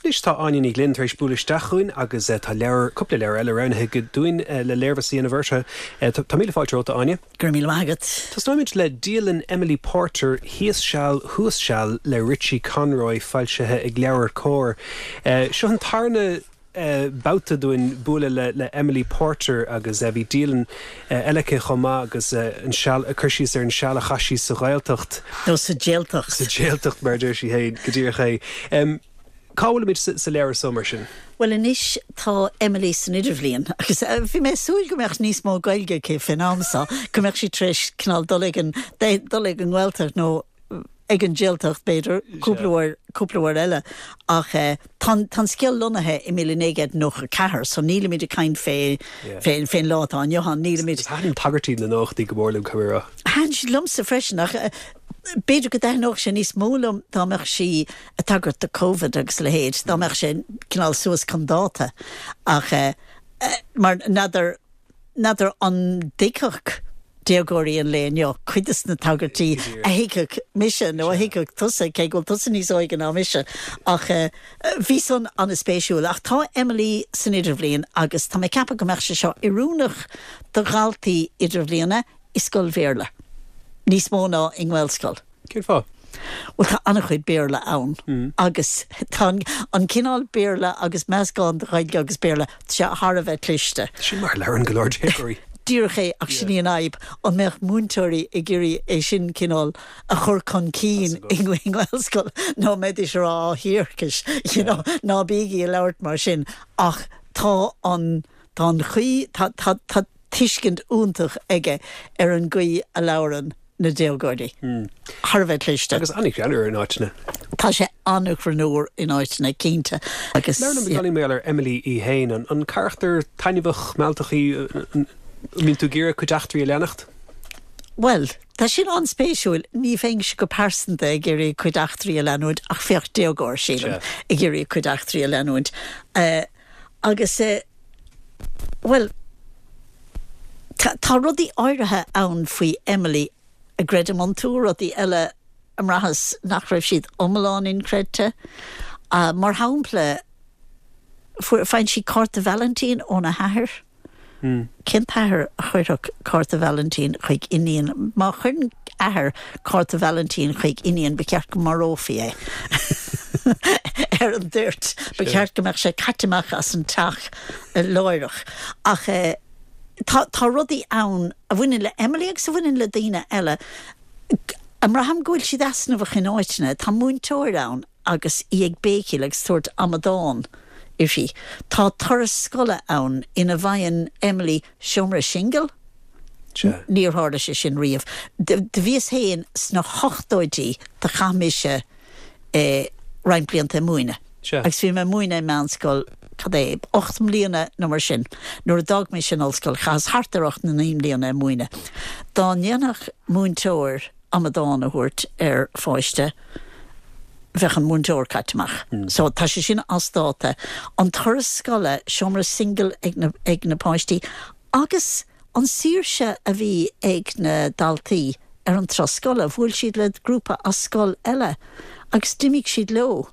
Anois tá Áine Ní Ghlinn tar éis bualadh isteach chugainn agus tá leabhar, cúpla leabhar eile roghnaithe aici dúinn le léirmheas a dhéanamh orthu. Tá míle fáilte romhat, a Áine. Go raibh míle maith agat. Tosnóimid le Dialann Emily Porter, Thíos Seal, Thuas Seal le Richie Conroy, foilsithe ag LeabhairCOMHAR. Seo an tarna babhta dúinn bualadh le Emily Porter agus bhí dialann eile aici chomh maith agus an seal, cur síos ar an seal a chaith sí sa Ghaeltacht. Nó sa Jaeltacht. Sa Jaeltacht mar a deir sí féin, go díreach é. Cá bhfuilimid sa leabhar so mar sin? Bhuel anois tá Emily san idirbhliain agus bhí mé ag súil go mbeadh níos mó Gaeilge aici fén am so, go mbeadh sí tar éis cineál dul ag an, dul ag an nGaeltacht nó ag an Jaeltacht b'fhéidir, cúpla uair, cúpla uair eile. Ach tá an, tá an scéal lonnaithe i 1994 so nílimid ag caint fé, fé, fén lá atá inniu ann, nílimid. Thaitin tagairtí na nóchaidí go mór liom, caithfidh mé a rá. Thaitin siad liomsa freisin ach b'fhéidir go dtaitneodh sé níos mó liom dá mbeadh sí ag tagairt do Covid agus a leithéid, dá mbeadh sé cineál suas chun dáta. Ach mar n'fheadar, n'fheadar an dtuigfeadh déagóirí an lae inniu cuid de na tagairtí a thuigfeadh mise nó a thuigfeadh tusa, cé go bhfuil tusa níos óige ná mise. Ach bhí san an-spéisiúil. Ach tá Emily san idirbhliain agus tá mé ag ceapadh go mbeadh sé seo oiriúnach do dhaltaí idirbhliana i scoil Bhéarla, níos mó ná i nGaelscoil. Cén fáth? Bhuel, tá an-chuid Béarla ann agus tá an cineál Béarla agus meascán de Ghaeilge agus Béarla, tá sé thar a bheith cliste. Sin mar a labhrann go leor déagóirí. Díreach é, ach sin í an fhadhb, an mbeadh múinteoirí ag iarraidh é sin cineál a chur chun cinn i nGaelscoil nó an mbeidís ag rá á thiarcais, you know, ná bígí ag labhairt mar sin. Ach tá an, tá an chaoi, tá, tá, tá, tuiscint iontach aige ar an gcaoi a labhrann na déagóirí. Thar a bheith cliste. Agus an-ghreannmhar in áiteanna. Tá sé an-ghreannmhar in áiteanna, cinnte. Agus. Labhair liom beagáinín mar gheall ar Emily í féin. An carachtar taitneamhach, mealltach í? An mbíonn tú ag iarraidh a cuid eachtraí a leanacht? Bhuel, tá sin an-spéisiúil. Ní bheinnse go pearsanta ag iarraidh a cuid eachtraí a leanúint, ach bheadh déagóir, sílim, ag iarraidh a cuid eachtraí a leanúint. Agus, bhuel, tá rudaí áirithe ann faoi Emily a gcreidim iontu, rudaí eile a mbraitheas nach raibh siad iomlán inchreidte. Mar shampla, fuair, faigheann sí cárta Vailintín óna hathair. Cén t-athair a chuirfeadh cárta Vailintín chuig iníon? Má chuireann athair cárta Vailintín chuig iníon, ba cheart go marófaí é ar an dtoirt. Ba cheart go mbeadh sé caite amach as an teach láithreach. Ach tá tá rudaí ann a bhaineann le Emily agus a bhaineann le daoine eile a mbraithim go bhfuil siad easnamhach in áiteanna. Tá múinteoir ann agus í ag béicíl agus tabhairt amadán uirthi. Tá turas scoile ann ina bhfaigheann Emily seomra singil? Níor tharla sé sin riamh. Do bhíos féin sna hochtóidí, do chaith mise roinnt blianta ag múineadh. Agus bhí mé ag múineadh i meánscoil, cad é, 8 mbliana nó mar sin. Nuair a d'fhág mise an ollscoil, chaitheas thart ar 8 nó 9 mbliana ag múineadh. Dá ndéanfadh múinteoir amadán a thabhairt ar pháiste, bheadh an múinteoir caite amach. So tá sé sin as dáta. An turas scoile, seomra singil ag na, ag na páistí agus an saoirse a bhí ag na daltaí ar an turas scoile. Bhuail siad le grúpa as scoil eile agus d'imigh siad leo.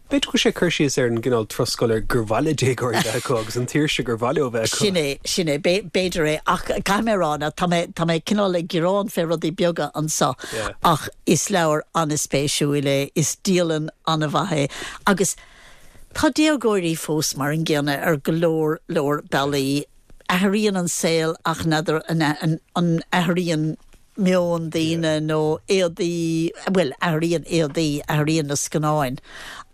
B'fhéidir go bhfuil sé ag cur síos ar an gcineál turas scoile gur mhaith le déagóirí bheith acu agus an tsaoirse gur mhaith leo bheith acu. Sin é, sin é. B'fhéidir é. Ach caithfidh mé a rá ná tá mé, tá mé cineál ag gearán fé rudaí beaga anso ach is leabhar an-spéisiúil é, is dialann an-mhaith é agus tá déagóirí fós mar an gcéanna ar go leor leor bealaí. Athraíonn an saol ach n'fheadar an athraíonn meon daoine nó éadaí, bhuel, athraíonn éadaí, athraíonn na scannáin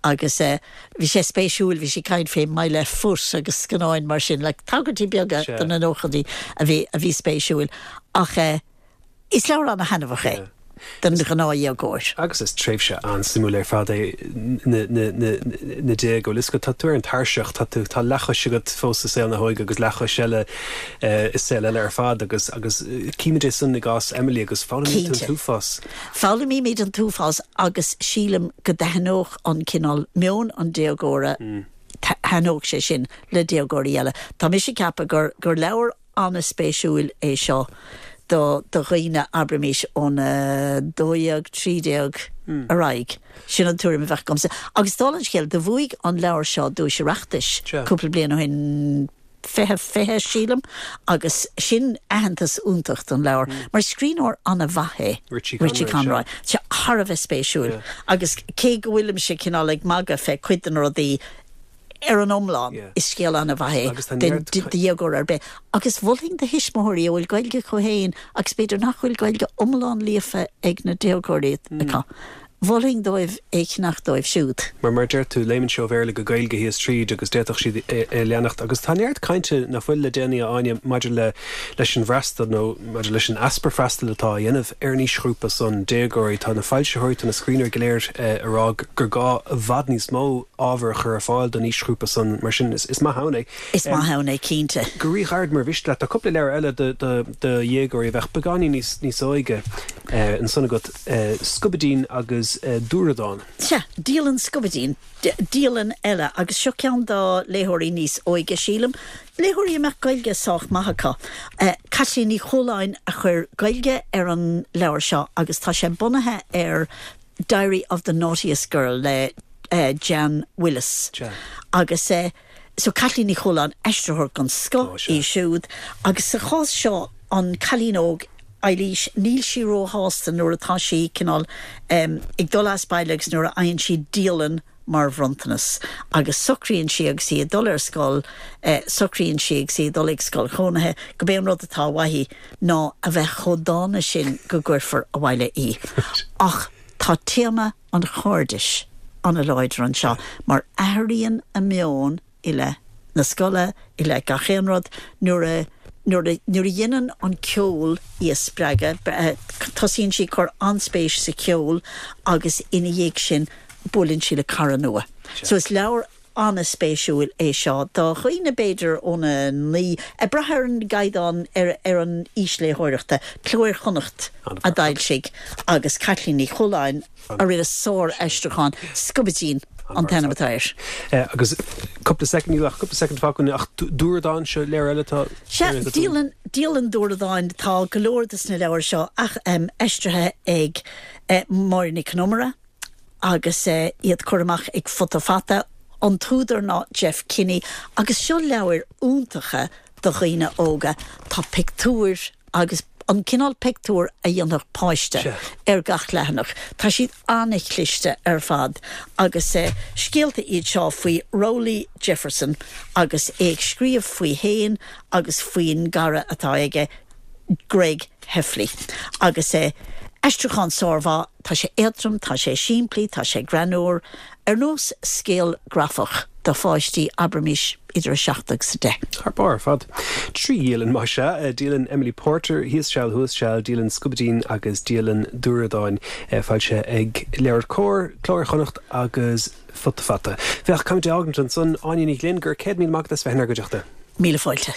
agus eh bhí sé spéisiúil, bhí sí ag caint fé My Left Foot agus scannáin mar sin, like tagairtí beaga do na nóchaidí a bhí, a bhí spéisiúil. Ach eh is leabhar ana-thaitneamhach é don ghnáthdhéagóir. Agus is tréimhse an-suimiúil ar fad é na, na, na, na déaga. Bhuel, is go, tá tú ar an tairseach, tá tú, tá leathchois agat fós i saol na hóige agus leathchois eile i saol eile ar fad agus agus címid é san i gcás Emily agus foghlaimíonn tú an Cinnte. t-uafás. Foghlaimímid an t-uafás agus sílim go dtaitneodh an cineál meon an déagóra, thaitneodh sé sin le déagóirí eile. Tá mise ag ceapadh gur gur leabhar an-spéisiúil é seo. do do dhaoine, abraimis, óna 12, 13 ar aghaidh. Sin an tuairim a bheadh agamsa. Agus dála an scéil, do bhuaigh an leabhar seo duais Oireachtais cúpla bliain ó shin, 2020, sílim, agus sin aitheantas iontach don leabhar, mar scríbhneoir an-mhaith é Richie Conroy. Tá sé thar a bheith spéisiúil agus cé go bhfuilimse cineál ag magadh fé cuid de na rudaí, ar an iomlán, is scéal an-mhaith é do dhéagóir ar bith. Agus mholfainn do thuismitheoirí a bhfuil Gaeilge acu féin agus b'fhéidir nach bhfuil Gaeilge iomlán líofa ag na déagóirí acu, mholfainn dóibh é a cheannach dóibh siúd. Mar, mar a deir tú, léimeann sé ó Bhéarla go Gaeilge thíos tríd agus d'fhéadfadh siad é a leanacht. Agus tá neart cainte nach bhfuil le déanaí, a Áine, maidir le leis an bhfreastal nó maidir leis an easpa freastail atá á dhéanamh ar an aoisghrúpa san, déagóirí. Tá na foilsitheoirí, tá na scríbhneoirí go léir ag rá gur gá i bhfad níos mó ábhar a chur ar fáil don aoisghrúpa san. Mar sin, is maith ann é. Is maith ann é, cinnte. Go ríghairid, mar mhiste leat, tá cúpla leabhar eile do dhéagóirí a bheadh beagáinín níos óige ansan agat. Scubaidín agus Dúradán. Sea, Dialann Scubaidín, dialann eile, agus seo ceann do léitheoirí níos óige, sílim, léitheoirí a mbeadh Gaeilge sách maith acu. Caitlín Ní Chualáin a chuir Gaeilge ar an leabhar seo agus tá sé bunaithe ar Diary of the Naughtiest Girl le Jan Willis. Agus so Caitlín Ní Chualáin, aistritheoir den scoth í siúd, agus sa chás seo an cailín óg Eilís, níl sí róshásta nuair atá sí cineál ag dul as baile agus nuair a fhaigheann sí dialann mar bhronntanas agus socraíonn sí agus í ag dul ar scoil, socraíonn sí agus í ag dul ag scoil chónaithe go b'é an rud atá uaithi ná a bheith chomh dána sin go gcuirfear abhaile í. Ach tá téama an chairdis an-láidir anseo mar athraíonn a meon i leith na scoile, i leith gach aon rud, nuair a, nuair a, nuair a dhéanann an ceol í a spreagadh, tosaíonn sí ag cur an-spéis sa cheol agus ina dhiaidh sin buaileann sí le cara nua. So is leabhar an-spéisiúil é seo do dhaoine b'fhéidir óna 9, ag brath ar an gcaighdeán, ar, ar an aois léitheoireachta. Cló Iar-Chonnacht a d'fhoilsigh agus Caitlín Ní Chualáin a rinne sár-aistriúchán, Scubaidín an t-ainm atá air. Agus cúpla soicind, níl ach cúpla soicind fágtha againn, ach Dúradán, seo leabhar eile atá Sea, Dialann, Dialann Dúradáin, tá go leor de sna leabhair seo ach aistrithe ag Máire Nic Con Iomaire agus iad curtha amach ag Futa Fata. An t-údar ná Jeff Kinney agus seo leabhair iontacha do dhaoine óga. Tá pictiúir agus an cineál pictiúr a dhéanfadh páiste ar gach leathanach. Tá siad an-chliste ar fad agus scéalta iad seo faoi Rowley Jefferson agus é ag scríobh faoi fhéin agus faoin gcara atá aige, Greg Heffley. Agus aistriúchán sármhaith, tá sé éadrom, tá sé simplí, tá sé greannmhar, ar nós scéal grafach do pháistí, abraimis, idir 7 agus 10. Thar barr ar fad. 3 dhialann, más ea, dialann Emily Porter, Thíos Seal Thuas Seal, dialann Scubaidín agus dialann Dúradáin, foilsithe ag LeabhairCOMHAR, Cló Iar-Chonnacht agus Futa Fata. Bhuel, caithfimid é a fhágaint ansan. Áine Ní Ghlinn, go raibh 100,000 maith agat as bheith inár gcuideachta. Míle fáilte.